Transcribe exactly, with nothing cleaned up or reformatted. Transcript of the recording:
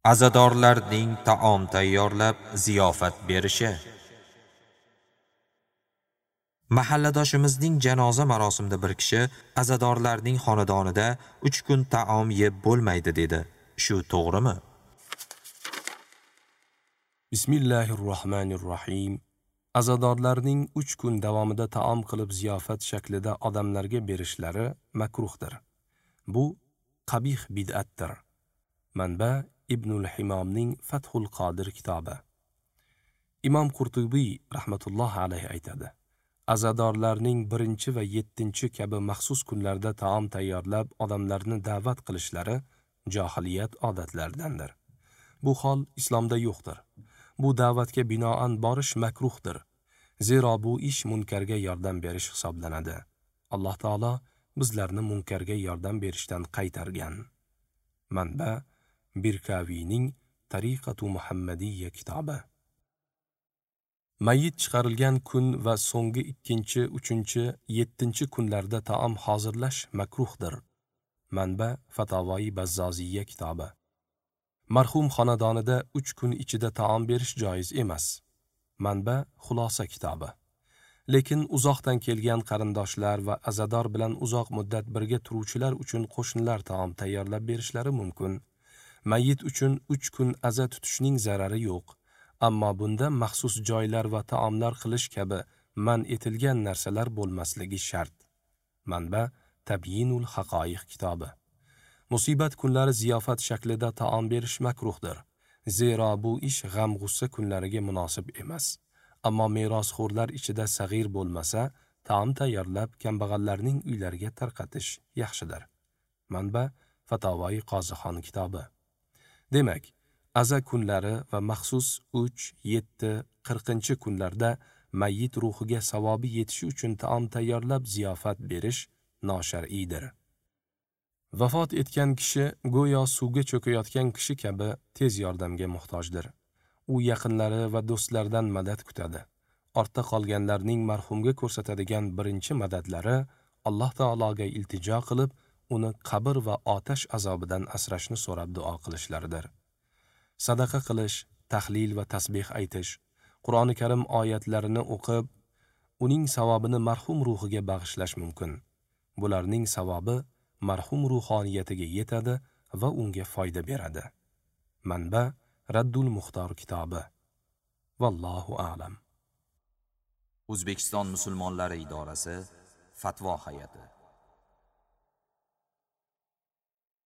Azadorlarning taom tayyorlab ziyofat berishi. Mahalladoshimizning janoza marosimida bir kishi azadorlarning xonadonida uch kun taom yeb bo'lmaydi dedi. Shu to'g'rimi? Bismillahirrohmanirrohim. Azadorlarning uch kun davomida taom qilib ziyofat shaklida odamlarga berishlari makruhdir. Bu qabih bid'atdir. Manba Ibnul Himomning Fathul Qodir kitobi. Imom Qurtubiy rahmatulloh alayhi aytadi: Azadorlarning birinchi va yettinchi kabi maxsus kunlarda taom tayyorlab odamlarni da'vat qilishlari johiliyat odatlaridandir. Bu hol islomda yo'qdir. Bu da'vatga binoan borish makruhdir. Zero bu ish munkarga yordam berish hisoblanadi. Alloh taolo bizlarni munkarga yordam berishdan qaytargan. Manba Birkaviyning Tariqatu Muhammadiyya kitobi. Mayyit chiqarilgan kun va so'nggi ikkinchi, uchinchi, yettinchi kunlarda taom hozirlash makruhdir. Manba Fatavoi Bazzoziyya kitobi. Marhum xonadonida uch kun ichida taom berish joiz emas. Manba Xulosa kitobi. Lekin uzoqdan kelgan qarindoshlar va azador bilan uzoq muddat birga turuvchilar uchun qo'shnilar taom tayyorlab berishlari mumkin. Mayyit uchun uch kun aza tutishning zarari yo'q. Ammo bunda maxsus joylar va taomlar qilish kabi man etilgan narsalar bo'lmasligi shart. Manba Tabyinul Haqoiq kitobi. Musibat kunlari ziyofat shaklida taom berish makruhdir. Zero bu ish g'am-g'ussa kunlariga munosib emas. Ammo merosxo'rlar ichida sag'ir bo'lmasa, taom tayyorlab kambag'allarning uylariga tarqatish yaxshidir. Manba Fatavoi Qozixon kitobi. Demak, aza kunlari va maxsus uch, yetti, qirqinchi kunlarda mayyit ruhiga savobi yetishi uchun taom tayyorlab ziyofat berish noshar'iydir. Vafot etgan kishi go'yo suvga cho'kayotgan kishi kabi tez yordamga muhtojdir. U yaqinlari va do'stlaridan madad kutadi. Ortda qolganlarning marhumga ko'rsatadigan birinchi madadlari Alloh taologa iltijo qilib, uni qabr va otash azobidan asrashni so'rab duo qilishlaridir. Sadaqa qilish, tahlil va tasbih aytish, Qur'oni Karim oyatlarini o'qib, uning savobini marhum ruhiga bag'ishlash mumkin. Bularning savobi marhum ruhoniyatiga yetadi va unga foyda beradi. Manba Raddul Muxtor kitobi. Vallohu a'lam. O'zbekiston musulmonlari idorasi Fatvo hay'ati.